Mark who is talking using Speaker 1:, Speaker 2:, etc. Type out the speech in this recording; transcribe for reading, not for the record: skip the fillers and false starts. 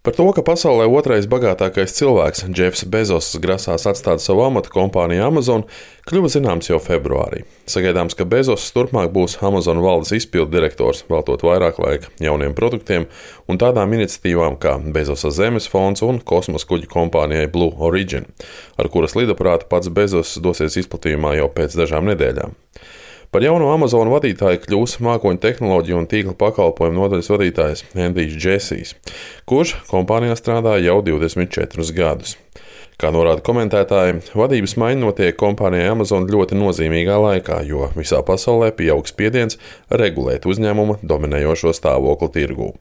Speaker 1: Par to, ka pasaulē otrais bagātākais cilvēks, Jeffs Bezos, grasās atstāt savu amatu kompaniju Amazon, kļuva zināms jau februārī. Sagaidāms, ka Bezos turpmāk būs Amazon valdes izpildu direktors, veltot vairāk laika jauniem produktiem un tādām iniciatīvām kā Bezosa Zemes fonds un kosmosa kuģu kompānijai Blue Origin, ar kuras lidaprātu pats Bezos dosies izplatījumā jau pēc dažām nedēļām. Par jauno Amazon vadītāju kļūs mākoņu tehnoloģiju un tīkla pakalpojumu nodaļas vadītājs Endijs Džesijs, kurš kompānijā strādā jau 24 gadus. Kā norāda komentētāji, vadības maiņa notiek kompānijai Amazon ļoti nozīmīgā laikā, jo visā pasaulē pieaug spiediens regulēt uzņēmuma dominējošo stāvokli tirgū.